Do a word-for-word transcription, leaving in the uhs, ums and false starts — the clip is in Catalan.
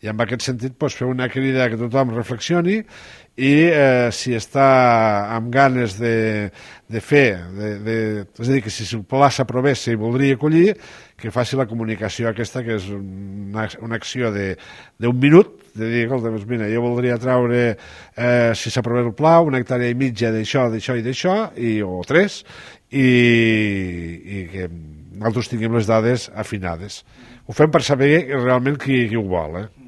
I en aquest sentit doncs, fer una crida que tothom reflexioni i eh, si està amb ganes de, de fer, de, de, és a dir, que si el pla s'aprovés i voldria acollir, que faci la comunicació aquesta, que és una, una acció d'un minut, de dir, doncs, mira, jo voldria traure, eh, si s'aprovés el pla, una hectàrea i mitja d'això, d'això i d'això, i, o tres, i, i que nosaltres tinguem les dades afinades. Ho fem per saber realment qui, qui ho vol, eh?